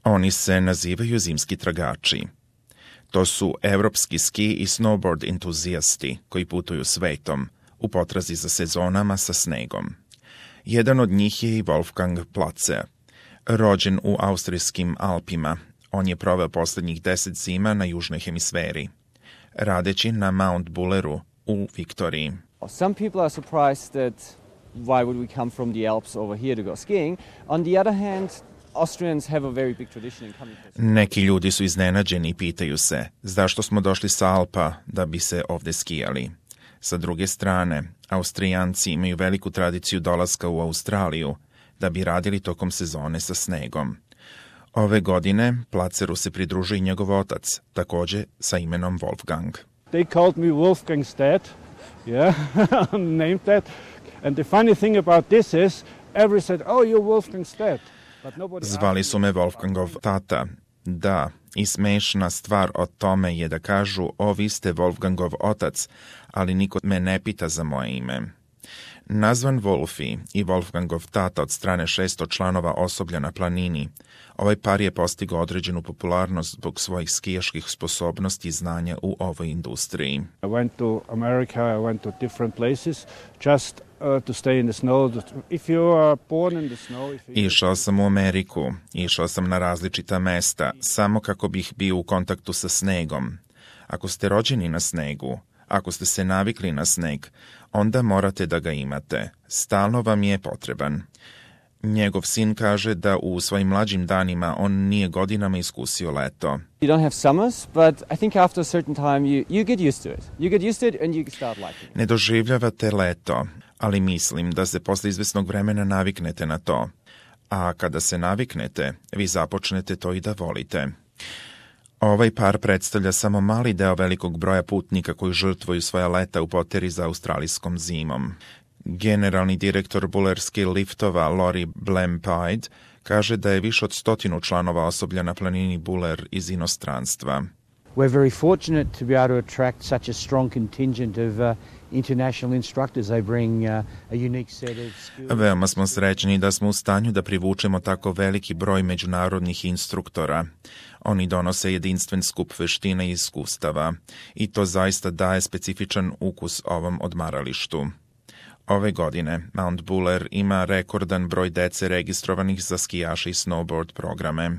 Oni se nazivaju zimski tragači. To su evropski ski i snowboard entuzijasti koji putuju svetom u potrazi za sezonama sa snegom. Jedan od njih je i Wolfgang Platzer. Rođen u austrijskim Alpima, on je proveo posljednjih 10 zima na južnoj hemisferi, radeći na Mount Bulleru u Viktoriji. Some people are surprised that why would we come from the Alps over here to go skiing. On the other hand, Austrians have a very big tradition in coming. Neki ljudi su iznenađeni i pitaju se zašto smo došli sa Alpa da bi se ovdje skijali. Sa druge strane, Austrijanci imaju veliku tradiciju dolaska u Australiju da bi radili tokom sezone sa snegom. Ove godine Platzeru se pridružuje i njegov otac, također sa imenom Wolfgang. They called me Wolfgang's dad, yeah, named that. And the funny thing about this is, everybody said, oh, you're Wolfgang's dad. Zvali su me Wolfgangov tata. Da, i smešna stvar o tome je da kažu, o, vi ste Wolfgangov otac, ali niko me ne pita za moje ime. Nazvan Wolfi i Wolfgangov tata od strane 600 članova osoblja na planini, ovaj par je postigao određenu popularnost zbog svojih skijaških sposobnosti i znanja u ovoj industriji. I went to America, I went to different places, just to stay in the snow. If you are born in the snow... Išao sam u Ameriku, išao sam na različita mesta, samo kako bih bio u kontaktu sa snegom. Ako ste rođeni na snegu, ako ste se navikli na sneg, onda morate da ga imate. Stalno vam je potreban. Njegov sin kaže da u svojim mlađim danima on nije godinama iskusio leto. You don't have summers, but I think after a certain time you get used to it. You get used to it and you start liking it. Ne doživljavate leto, ali mislim da se posle izvesnog vremena naviknete na to. A kada se naviknete, vi započnete to i da volite. Ovaj par predstavlja samo mali deo velikog broja putnika koji žrtvuju svoja leta u poteri za australijskom zimom. Generalni direktor bulerskih liftova Lori Blampide kaže da je više od 100 članova osoblja na planini Buller iz inostranstva. We're very fortunate to be able to attract such a strong contingent of international instructors. They bring a unique set of skills. Veoma smo srećni da smo u stanju da privučemo tako veliki broj međunarodnih instruktora. Oni donose jedinstven skup veština i iskustava i to zaista daje specifičan ukus ovom odmaralištu. Ove godine Mount Buller ima rekordan broj dece registrovanih za skijaše i snowboard programe.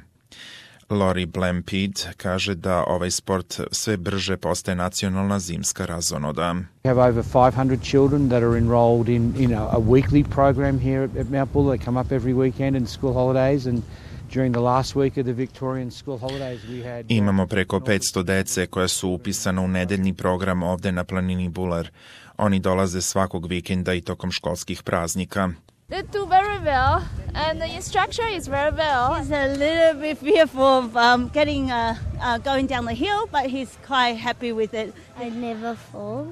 Lori Blampede kaže da ovaj sport sve brže postaje nacionalna zimska razonoda. We have over 500 children that are enrolled in a weekly program here at Mount Buller. They come up every weekend in school holidays and during the last week of the Victorian school holidays we had... Imamo preko 500 dece koja su upisana u nedeljni program ovde na planini Buller. Oni dolaze svakog vikenda i tokom školskih praznika. They do very well, and the instructor is very well. He's a little bit fearful of going down the hill, but he's quite happy with it. I never fall.